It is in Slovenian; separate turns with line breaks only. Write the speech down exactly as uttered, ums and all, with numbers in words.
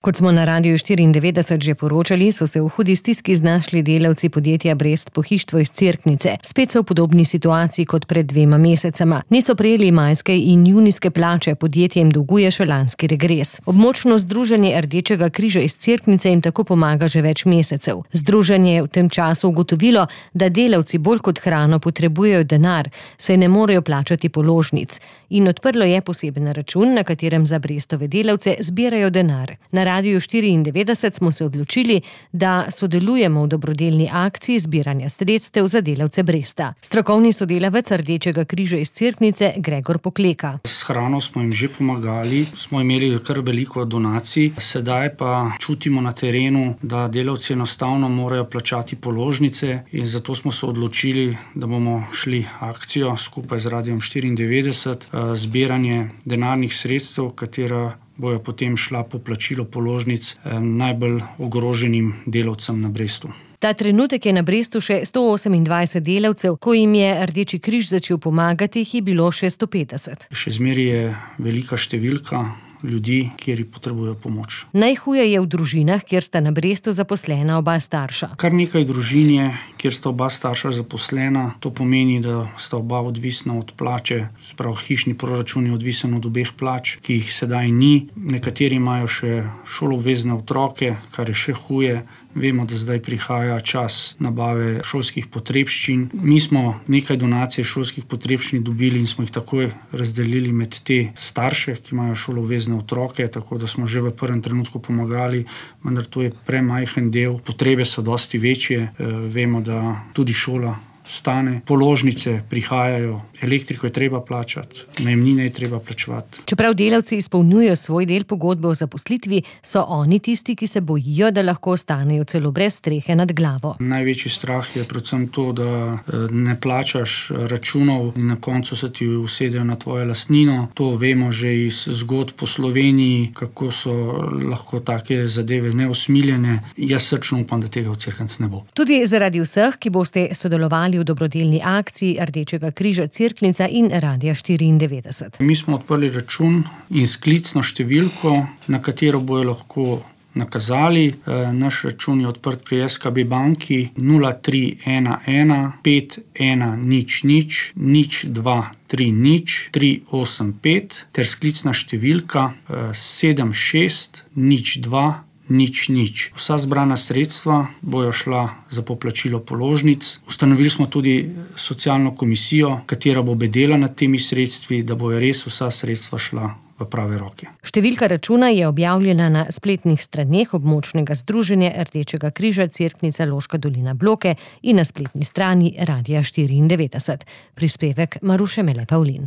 Kot smo na Radiu štiriindevetdeset že poročali, so se v hudi stiski znašli delavci podjetja Brest Pohištvo iz Cerknice. Spet so v podobni situaciji kot pred dvema mesecema. Niso prejeli majske in junijske plače, podjetje jim dolguje še lanski regres. Območno združenje Rdečega križa iz Cerknice jim tako pomaga že več mesecev. Združenje je v tem času ugotovilo, da delavci bolj kot hrano potrebujejo denar, saj ne morejo plačati položnic. In odprlo je poseben račun, na katerem za Brestove delavce zbirajo denar. Na Radiu štiriindevetdeset smo se odločili, da sodelujemo v dobrodelni akciji zbiranja sredstev za delavce Bresta. Strokovni sodelavec Rdečega križa iz Cerknice Gregor Pokleka.
S hrano smo jim že pomagali, smo imeli kar veliko donacij, sedaj pa čutimo na terenu, da delavci enostavno morajo plačati položnice in zato smo se odločili, da bomo šli akcijo skupaj z Radijem štiriindevetdeset, zbiranje denarnih sredstev, katera bojo potem šla po plačilo položnic najbolj ogroženim delavcem na Brestu.
Ta trenutek je na Brestu še sto osemindvajset delavcev, ko jim je Rdeči križ začel pomagati, jih je bilo še sto petdeset.
Še zmeraj je velika številka ljudi, kjer potrebujejo pomoč.
Najhuje je v družinah, kjer sta na Brestu zaposlena oba starša.
Kar nekaj družin je, kjer sta oba starša zaposlena. To pomeni, da sta oba odvisna od plače, sprav hišni proračun je odvisen od obeh plač, ki jih sedaj ni. Nekateri imajo še šoloobvezne otroke, kar je še huje. Vemo, da zdaj prihaja čas nabave šolskih potrebščin. Mi smo nekaj donacij šolskih potrebščin dobili in smo jih takoj razdelili med te starše, ki imajo šoloobvezne otroke, tako da smo že v prvem trenutku pomagali, vendar to je premajhen del. Potrebe so dosti večje. Vemo, da tudi šola stane, položnice prihajajo, elektriko je treba plačati, najemnine je treba plačevati.
Čeprav delavci izpolnjujejo svoj del pogodbe o zaposlitvi, so oni tisti, ki se bojijo, da lahko ostanejo celo brez strehe nad glavo.
Največji strah je predvsem to, da ne plačaš računov in na koncu se ti usedejo na tvojo lastnino. To vemo že iz zgodb po Sloveniji, kako so lahko take zadeve neusmiljene. Jaz srčno upam, da tega v Cerknici ne bo.
Tudi zaradi vseh, ki boste sodelovali v dobrodelni akciji Rdečega križa Cerknica in Radia štiriindevetdeset.
Mi smo odprli račun in sklicno številko, na katero bojo lahko nakazali. Naš račun je odprt pri es ka be banki nula tri ena ena pet ena nič nič nič dva tri nič tri osem pet ter sklicna številka sedem šest nič dva nič nič. Vsa zbrana sredstva bojo šla za poplačilo položnic. Ustanovili smo tudi socialno komisijo, katera bo bedela nad temi sredstvi, da bojo res vsa sredstva šla v prave roke.
Številka računa je objavljena na spletnih straneh območnega združenja Rdečega križa Cerknica Loška dolina Bloke in na spletni strani Radia štiriindevetdeset. Prispevek Maruše Mele Pavlin.